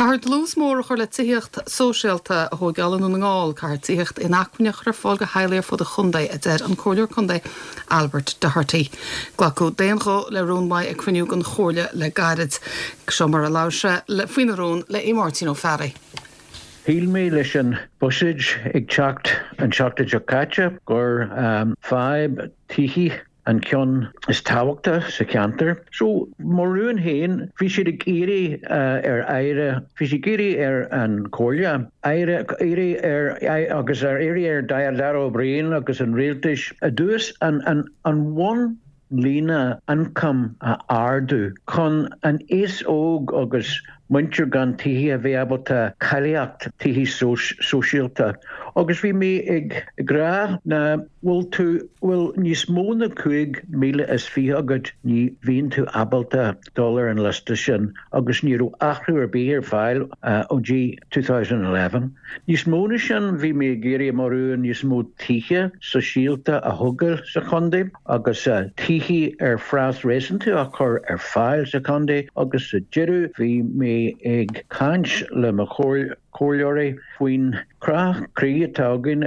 Caithfear dlús mór a chur le tithíocht sóisialta a thóigeáil i nDún na nGall. Caithfear tithíocht inacmhainne a chur ar fáil do theaghlaigh ar fud an chontae, a deir an Comhairleoir Contae Albert Doherty. Glacadh d'aon ghuth le rún uaidh ag cruinniú den Chomhairle le gairid. Seo mar a labhair sé faoina rún le Aodh Máirtín Ó Fearraigh. Shíl mé leis an buiséad ag teacht an tseachtain seo caite gur fadhb tithí an ceann is tábhachta sa cheantar. So, mo rún féin, bhí siad ag iarraidh ar Aire, bhí siad ag iarraidh ar an Chomhairle, Aire, iarraidh ar, agus ar iarraidh ar Darragh O'Brien agus an Rialtais i dtús an, an, an bhun líne ioncaim a ardú chun an aos óg agus muintir gan tithe a bheith ábalta cáilíocht tithe sóisialta agus bhí mé ag rá ná bhfuil tú bhfuil níos mó na 5,020 agat ní bhíonn tú ábalta dul ar an liosta sin agus ní raibh athrú ar bith ar fáil ó dtí 2011. Níos mó na sin bhí mé ag iarraidh mo rún níos mó tithe sóisialta a thógáil sa chontae. agus tithí ar phraghas réasúnta a chur ar fáil sa chontae agus sa deireadh bhí mé ag caint le mo chomhairleoirí faoin chrá croí atá againn,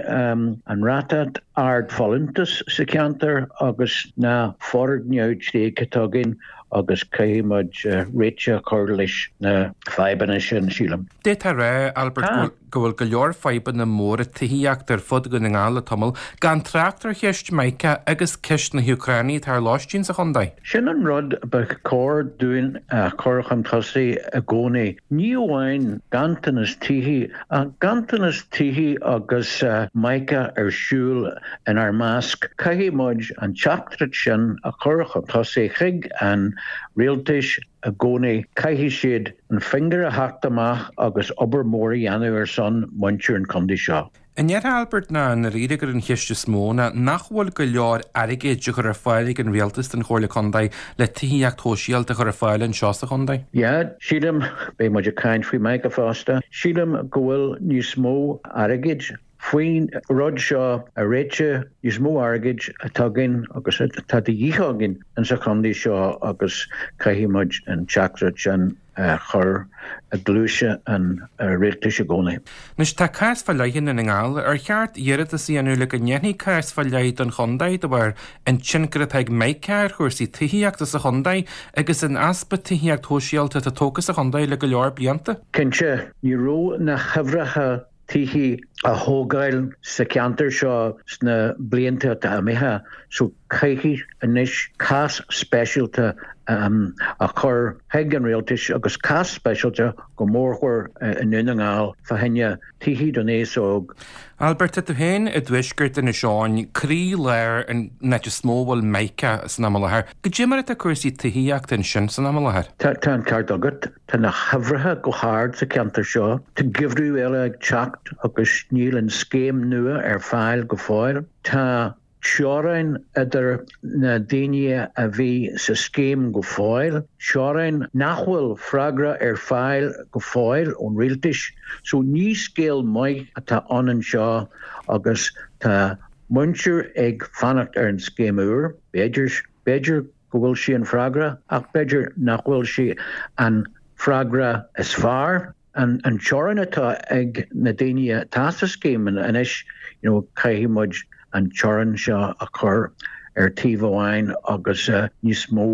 an ráta ard folúntas sa cheantar agus na foirgnimh tréigthe atá againn agus caithfidh muid réiteach a chur leis na fadhbanna sin, sílim. D'fhéadfá a rá, Albert, go bhfuil. go bhfuil go leor fadhbanna móra tithíochta ar fud Dhún na nGall le tamall, gan trácht ar cheist Micah agus ceist na hÚcráine atá ar lóistín sa chontae. Sin an rud ba chóir dúinn a chur chun tosaigh i gcónaí. Ní amháin ganntanas tithí, ach ganntanas tithí agus Micah ar siúl inár measc. Caithfidh muid an teachtaireacht sin a chur chun tosaigh chuig an rialtais i gcónaí. Caithfidh siad an finger a theacht amach agus obair mhór a dhéanamh ar son muintir an chontae seo. An ndéarfá Albert ná i ndáiríre gur an cheist is mó ná nach bhfuil go leor airgid á chur ar fáil ag an rialtas don Chomhairle Contae le tithíocht shóisialta a chur ar fáil anseo sa chontae? Yeah, sílim, beidh muid ag caint faoi Micah fosta, sílim go bhfuil níos mó airgid faoin rud seo a réiteach, níos mó airgid atá againn agus atá de dhíth againn insa chontae seo agus caithfidh muid an teachtaireacht sin a chur i gcluaise an rialtais i gcónaí. Anois tá cás fá leith i nDún na nGall. Ar cheart iarratas a dhéanamh le go ndéanfaí cás fá leith don chontae de bharr an tionchar atá ag Micah ar chúrsaí tithíochta sa chontae agus an easpa tithíocht shóisialta atá tógtha sa chontae le go leor blianta? Cinnte, ní raibh na huimhreacha tithí a thógáil sa cheantar seo sna blianta atá imithe so caithfidh anois cás speisialta a chur chuig an rialtais agus cás speisialta go mórmhór i nDún na nGall fá choinne tithí don aos óg. Albert, tá tú féin i dtuaisceart Inis Eoghain, croí-lár an áit is mó a bhfuil Micah san am i láthair. Goidé mar atá cúrsaí tithíochta ansin san am i láthair? Tá an ceart agat. Tá na huimhreacha go hard sa cheantar seo. Tá geimhreadh eile ag teacht agus níl an scéim nua ar fáil go fóill. Tá teorainn idir na daoine a bhí sa scéim go fóill, teorainn nach bhfuil freagra ar fáil go fóill ón rialtais. So ní scéal maith atá ann anseo agus tá muintir ag fanacht ar an scéim úr, b'fhéidir, b'fhéidir go bhfuil sí an freagra ach b'fhéidir nach bhfuil sí an freagra is fearr. An teorainn atá ag na daoine atá sa scéim anois, you know, caithfidh muid an teorainn seo a chur ar taobh amháin agus níos mó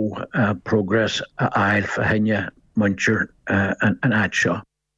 progress a fháil fá choinne muintir an áit seo.